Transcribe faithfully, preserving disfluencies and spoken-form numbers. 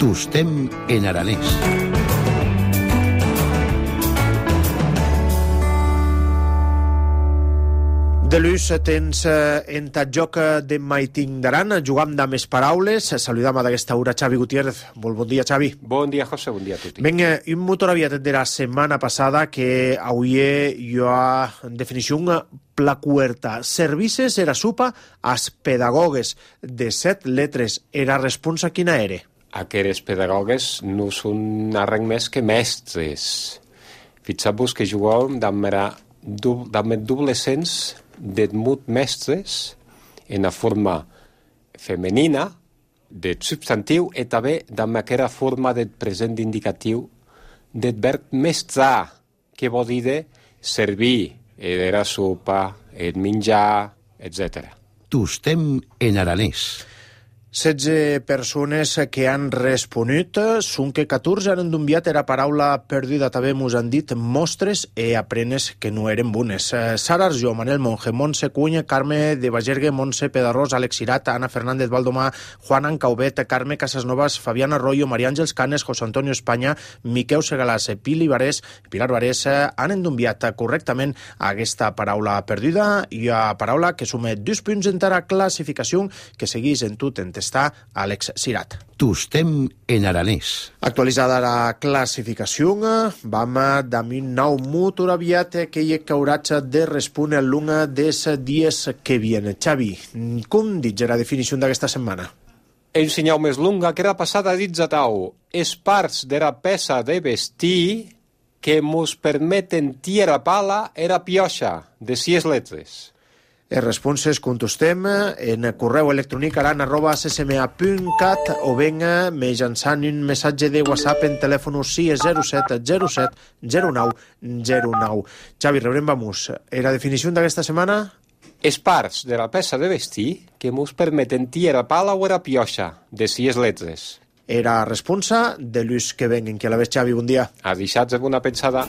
Tostem en aranès. De l'ús tens en ta joc de Maiting d'Aran, jugam de més paraules. Saludam a d'aquesta hora Xavi Gutiérrez. Molt bon dia, Xavi. Bon dia, José, bon dia a tutti. Ben, un motor aviat de la setmana passada que avui jo ha en definició placuerta. Services era supa als pedagogues de set letres. Era responsa quina era? Aquests pedagogues no són arreng més que mestres. Fixeu-vos que juguem amb doble sens d'edmut mestres en la forma femenina del substantiu i també amb aquesta forma del present indicatiu del verb mestrar, que vol dir de servir, era sopa, el menjar, etcètera. Tostem en aranès. setze persones que han responut, són que catorze han enviat era paraula perduda, també mos han dit mostres e aprenes que no eren bones. Sara Arjó, Manel Monge, Montse Cuny, Carme de Bagergue, Montse Pedarrós, Àlex Cirat, Ana Fernández Valdomà, Juan Ancauvet, Carme Casasnovas, Fabián Arroyo, María Àngels Canes, José Antonio Espanya, Miquel Segalàs, Pili Barés, Pilar Barés, han enviat correctament aquesta paraula perduda i a paraula que sume dos punts en la classificació que seguís en tot en està Àlex Cirat. Tostem en aranès. Actualitzada la classificació, vam d'ami nou motor aviat que hi cauratge de respondre l'una dels dies que viene. Xavi, com dius la definició d'aquesta setmana? Un senyal més longa que era passada dits a tau. És parts de la peça de vestir que mos permeten tirar pala era pioxa de sis letres. Els responses contestem en correu electrònic aran arroba c s m a punt cat o ben mitjançant un missatge de WhatsApp en telèfon sis zero set zero set zero nou zero nou. Xavi, rebrem vamos. La definició d'aquesta setmana? És parts de la peça de vestir que mos permeten tirar pala o era pioxa de sis letres. Era responsa de l'ús que vengen. Que la ves, Xavi, bon dia. A deixats de bona pensada.